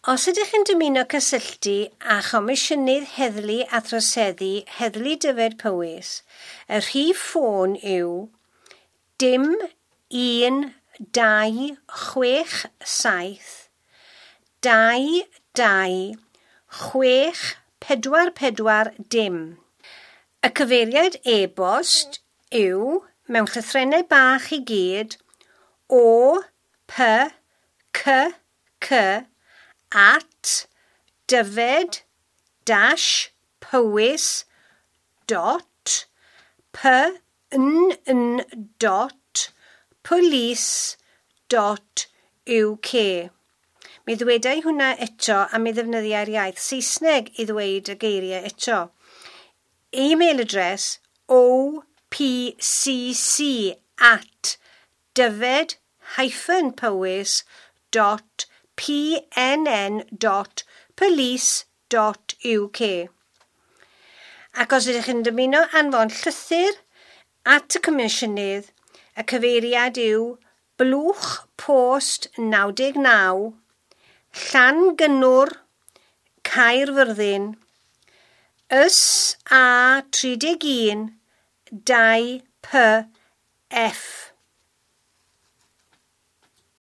Os ydych yn dymuno cysylltu â Chomisiynydd Heddlu a Throseddu Heddlu Dyfed Powys, y rhif ffôn yw 0 1 2 6 7 2 2 6 4 4 0. Y cyfeiriad e-bost yw, mewn llythrennau bach i gyd, o p c c at dyfed dash powys dot p n n dot police dot uk. Mi ddwedai hwnna eto a mi ddefnyddiai'r iaith Saesneg i ddweud y geiriau eto. E-mail address opcc at dyfed hyphen powys dot pnn dot police dot uk. Ac os ydych yn dymuno anfon llythyr at y Comisiynydd, y cyfeiriad yw Blwch Post 99, Llangynnwr, Caerfyrddin, SA 31 2 PF.